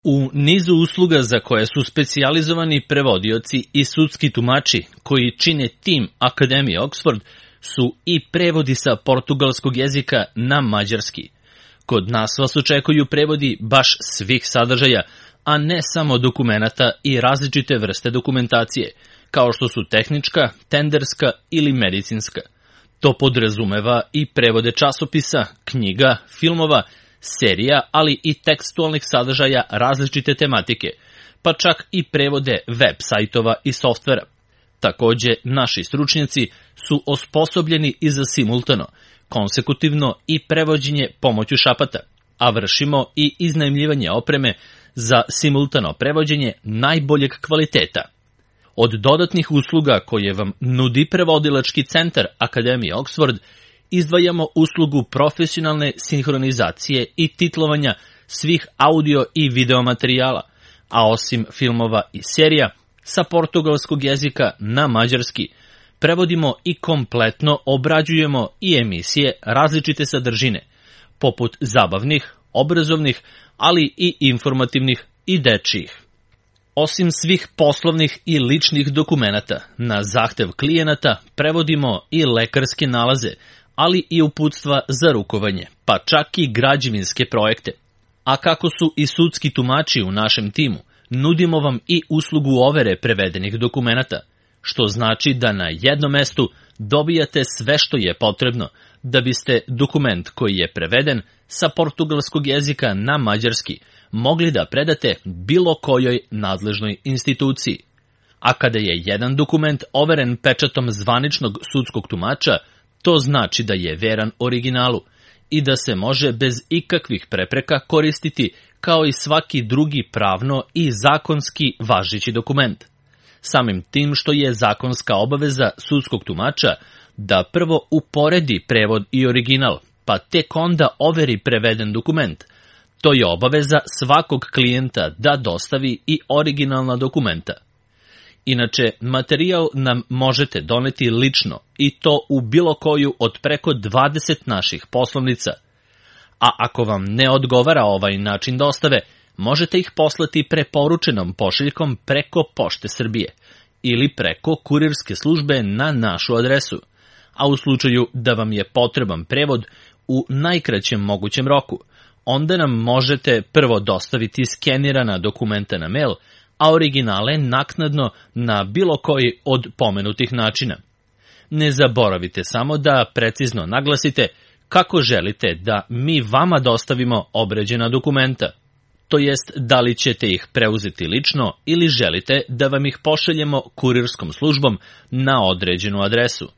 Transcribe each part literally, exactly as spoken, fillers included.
U nizu usluga za koje su specijalizovani prevodioci i sudski tumači koji čine tim Akademije Oxford su i prevodi sa portugalskog jezika na mađarski. Kod nas vas očekuju prevodi baš svih sadržaja, a ne samo dokumenata i različite vrste dokumentacije, kao što su tehnička, tenderska ili medicinska. To podrazumeva i prevode časopisa, knjiga, filmova, serija, ali i tekstualnih sadržaja različite tematike, pa čak i prevode web sajtova i softvera. Takođe, naši stručnjaci su osposobljeni i za simultano, konsekutivno i prevođenje pomoću šapata, a vršimo i iznajmljivanje opreme za simultano prevođenje najboljeg kvaliteta. Od dodatnih usluga koje vam nudi prevodilački centar Akademije Oxford, izdvajamo uslugu profesionalne sinhronizacije i titlovanja svih audio i video materijala, a osim filmova i serija, sa portugalskog jezika na mađarski, prevodimo i kompletno obrađujemo i emisije različite sadržine, poput zabavnih, obrazovnih, ali i informativnih i dečijih. Osim svih poslovnih i ličnih dokumenata, na zahtev klijenata prevodimo i lekarske nalaze, ali i uputstva za rukovanje, pa čak i građevinske projekte. A kako su i sudski tumači u našem timu, nudimo vam i uslugu overe prevedenih dokumenata, što znači da na jednom mestu dobijate sve što je potrebno da biste dokument koji je preveden sa portugalskog jezika na mađarski mogli da predate bilo kojoj nadležnoj instituciji. A kada je jedan dokument overen pečatom zvaničnog sudskog tumača, to znači da je veran originalu i da se može bez ikakvih prepreka koristiti kao i svaki drugi pravno i zakonski važeći dokument. Samim tim što je zakonska obaveza sudskog tumača da prvo uporedi prevod i original, pa tek onda overi preveden dokument. To je obaveza svakog klijenta da dostavi i originalna dokumenta. Inače, materijal nam možete doneti lično i to u bilo koju od preko dvadeset naših poslovnica. A ako vam ne odgovara ovaj način dostave, možete ih poslati preporučenom pošiljkom preko Pošte Srbije ili preko kurirske službe na našu adresu. A u slučaju da vam je potreban prevod u najkraćem mogućem roku, onda nam možete prvo dostaviti skenirana dokumenta na mail, a originale naknadno na bilo koji od pomenutih načina. Ne zaboravite samo da precizno naglasite kako želite da mi vama dostavimo obrađena dokumenta, to jest da li ćete ih preuzeti lično ili želite da vam ih pošaljemo kurirskom službom na određenu adresu.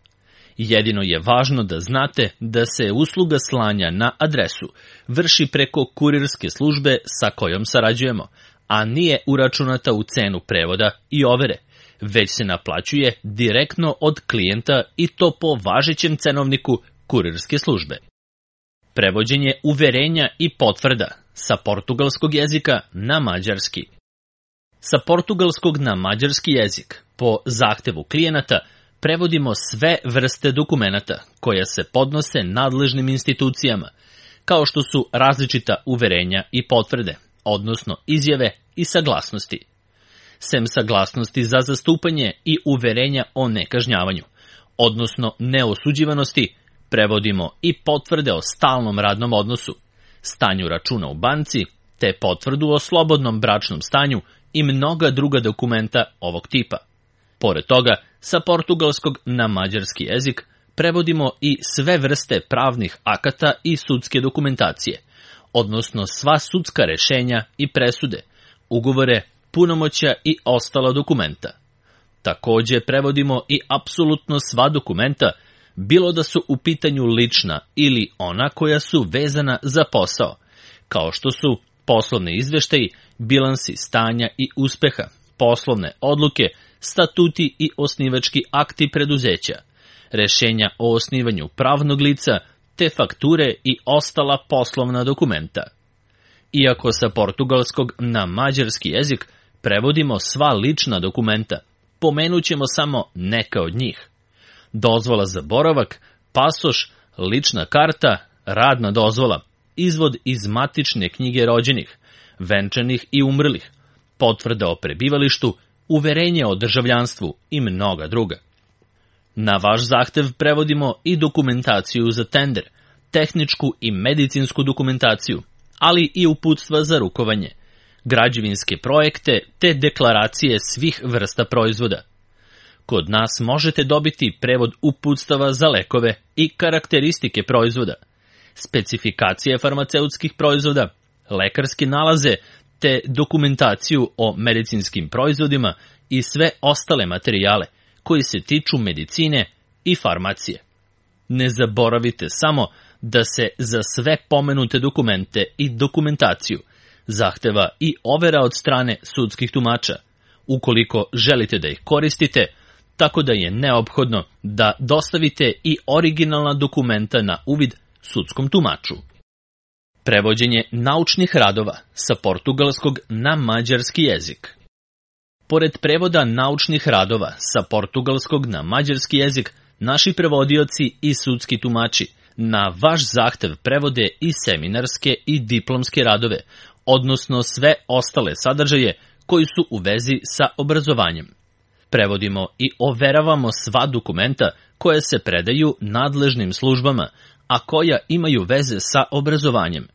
Jedino je važno da znate da se usluga slanja na adresu vrši preko kurirske službe sa kojom sarađujemo, a nije uračunata u cenu prevoda i overe, već se naplaćuje direktno od klijenta i to po važećem cenovniku kurirske službe. Prevođenje uverenja i potvrda sa portugalskog jezika na mađarski. Sa portugalskog na mađarski jezik, po zahtevu klijenata, prevodimo sve vrste dokumenata koja se podnose nadležnim institucijama, kao što su različita uverenja i potvrde, odnosno izjave i saglasnosti. Sem saglasnosti za zastupanje i uverenja o nekažnjavanju, odnosno neosuđivanosti, prevodimo i potvrde o stalnom radnom odnosu, stanju računa u banci, te potvrdu o slobodnom bračnom stanju i mnoga druga dokumenta ovog tipa. Pored toga, sa portugalskog na mađarski jezik prevodimo i sve vrste pravnih akata i sudske dokumentacije, odnosno sva sudska rešenja i presude, ugovore, punomoćja i ostala dokumenta. Takođe prevodimo i apsolutno sva dokumenta, bilo da su u pitanju lična ili ona koja su vezana za posao, kao što su poslovni izveštaji, bilansi stanja i uspeha, poslovne odluke, statuti i osnivački akti preduzeća, rešenja o osnivanju pravnog lica, te fakture i ostala poslovna dokumenta. Iako sa portugalskog na mađarski jezik prevodimo sva lična dokumenta, pomenut ćemo samo neka od njih. Dozvola za boravak, pasoš, lična karta, radna dozvola, izvod iz matične knjige rođenih, venčanih i umrlih, potvrda o prebivalištu, uverenje o državljanstvu i mnoga druga. Na vaš zahtev prevodimo i dokumentaciju za tender, tehničku i medicinsku dokumentaciju, ali i uputstva za rukovanje, građevinske projekte te deklaracije svih vrsta proizvoda. Kod nas možete dobiti prevod uputstava za lekove i karakteristike proizvoda, specifikacije farmaceutskih proizvoda, lekarske nalaze te dokumentaciju o medicinskim proizvodima i sve ostale materijale koji se tiču medicine i farmacije. Ne zaboravite samo da se za sve pomenute dokumente i dokumentaciju zahteva i overa od strane sudskih tumača, ukoliko želite da ih koristite, tako da je neophodno da dostavite i originalna dokumenta na uvid sudskom tumaču. Prevođenje naučnih radova sa portugalskog na mađarski jezik. Pored prevoda naučnih radova sa portugalskog na mađarski jezik, naši prevodioci i sudski tumači na vaš zahtev prevode i seminarske i diplomske radove, odnosno sve ostale sadržaje koji su u vezi sa obrazovanjem. Prevodimo i overavamo sva dokumenta koje se predaju nadležnim službama, a koja imaju veze sa obrazovanjem,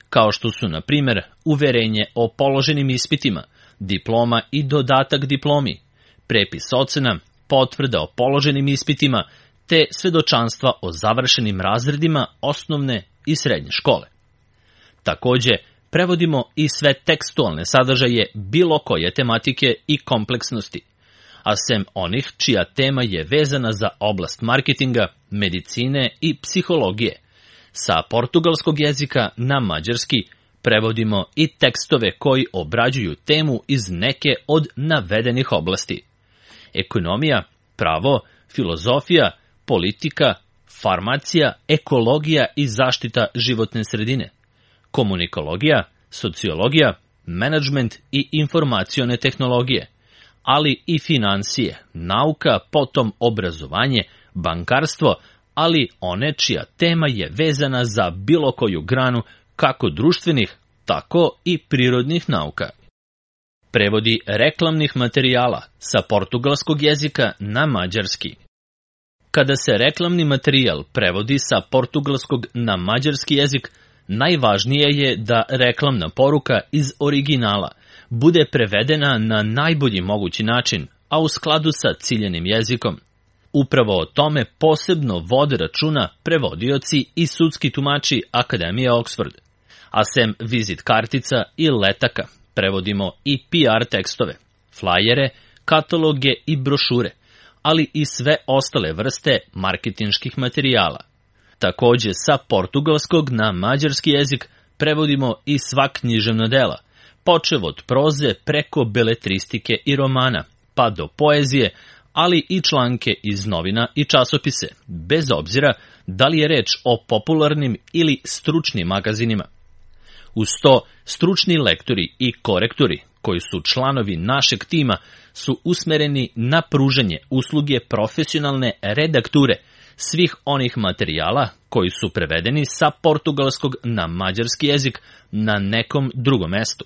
kao što su, na primjer, uverenje o položenim ispitima, diploma i dodatak diplomi, prepis ocena, potvrda o položenim ispitima, te svedočanstva o završenim razredima osnovne i srednje škole. Takođe, prevodimo i sve tekstualne sadržaje bilo koje tematike i kompleksnosti, a sem onih čija tema je vezana za oblast marketinga, medicine i psihologije. Sa portugalskog jezika na mađarski prevodimo i tekstove koji obrađuju temu iz neke od navedenih oblasti: ekonomija, pravo, filozofija, politika, farmacija, ekologija i zaštita životne sredine, komunikologija, sociologija, menadžment i informacione tehnologije, ali i finansije, nauka, potom obrazovanje, bankarstvo, ali one čija tema je vezana za bilo koju granu kako društvenih, tako i prirodnih nauka. Prevodi reklamnih materijala sa portugalskog jezika na mađarski. Kada se reklamni materijal prevodi sa portugalskog na mađarski jezik, najvažnije je da reklamna poruka iz originala bude prevedena na najbolji mogući način, a u skladu sa ciljanim jezikom. Upravo o tome posebno vode računa prevodioci i sudski tumači Akademije Oxford. A sem vizit kartica i letaka, prevodimo i P R tekstove, flajere, kataloge i brošure, ali i sve ostale vrste marketinških materijala. Takođe, sa portugalskog na mađarski jezik prevodimo i sva književna dela, počev od proze preko beletristike i romana, pa do poezije, ali i članke iz novina i časopise, bez obzira da li je reč o popularnim ili stručnim magazinima. Uz to, stručni lektori i korektori, koji su članovi našeg tima, su usmereni na pružanje usluge profesionalne redakture svih onih materijala koji su prevedeni sa portugalskog na mađarski jezik na nekom drugom mestu.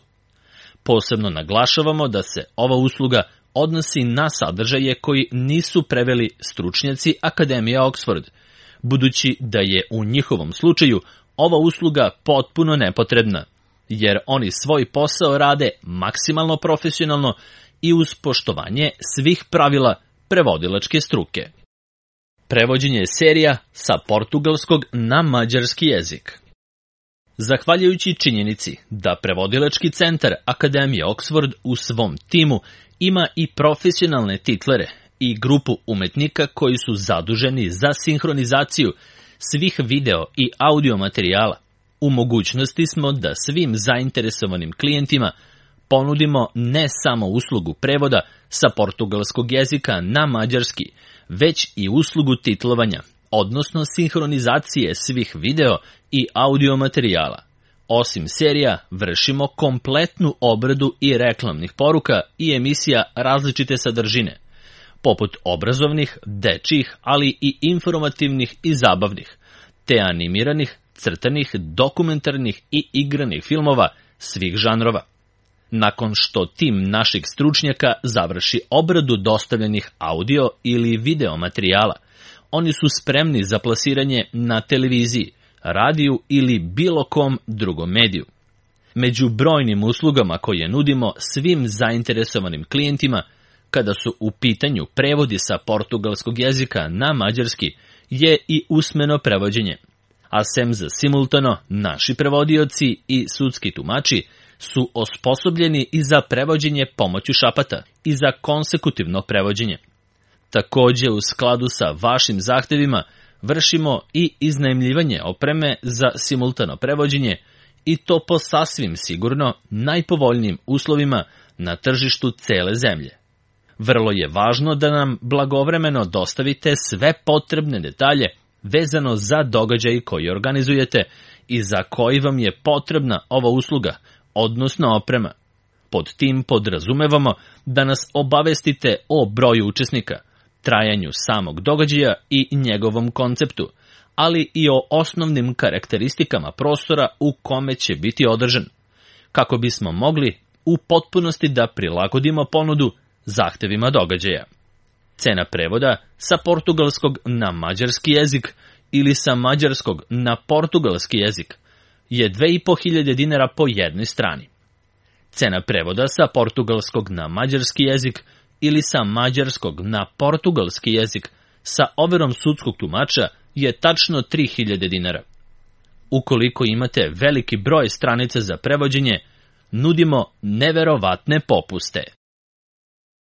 Posebno naglašavamo da se ova usluga odnosi na sadržaje koji nisu preveli stručnjaci Akademije Oxford, budući da je u njihovom slučaju ova usluga potpuno nepotrebna, jer oni svoj posao rade maksimalno profesionalno i uz poštovanje svih pravila prevodilačke struke. Prevođenje serija sa portugalskog na mađarski jezik. Zahvaljujući činjenici da prevodilački centar Akademije Oxford u svom timu ima i profesionalne titlere i grupu umetnika koji su zaduženi za sinhronizaciju svih video i audio materijala, u mogućnosti smo da svim zainteresovanim klijentima ponudimo ne samo uslugu prevoda sa portugalskog jezika na mađarski, već i uslugu titlovanja, odnosno sinhronizacije svih video i audio materijala. Osim serija, vršimo kompletnu obradu i reklamnih poruka i emisija različite sadržine, poput obrazovnih, dečjih, ali i informativnih i zabavnih, te animiranih, crtanih, dokumentarnih i igranih filmova svih žanrova. nakon što tim naših stručnjaka završi obradu dostavljenih audio ili video materijala, oni su spremni za plasiranje na televiziji, radiju ili bilo kom drugom mediju. Među brojnim uslugama koje nudimo svim zainteresovanim klijentima, kada su u pitanju prevodi sa portugalskog jezika na mađarski, je i usmeno prevođenje. A sem za simultano, naši prevodioci i sudski tumači su osposobljeni i za prevođenje pomoću šapata i za konsekutivno prevođenje. Takođe, u skladu sa vašim zahtevima, vršimo i iznajmljivanje opreme za simultano prevođenje, i to po sasvim sigurno najpovoljnijim uslovima na tržištu cele zemlje. Vrlo je važno da nam blagovremeno dostavite sve potrebne detalje vezano za događaj koji organizujete i za koji vam je potrebna ova usluga, odnosno oprema. Pod tim podrazumevamo da nas obavestite o broju učesnika, trajanju samog događaja i njegovom konceptu, ali i o osnovnim karakteristikama prostora u kome će biti održan, kako bismo mogli u potpunosti da prilagodimo ponudu zahtevima događaja. Cena prevoda sa portugalskog na mađarski jezik ili sa mađarskog na portugalski jezik je dve i po hiljade dinara po jednoj strani. Cena prevoda sa portugalskog na mađarski jezik ili sa mađarskog na portugalski jezik sa overom sudskog tumača je tačno tri hiljade dinara. Ukoliko imate veliki broj stranica za prevođenje, nudimo neverovatne popuste.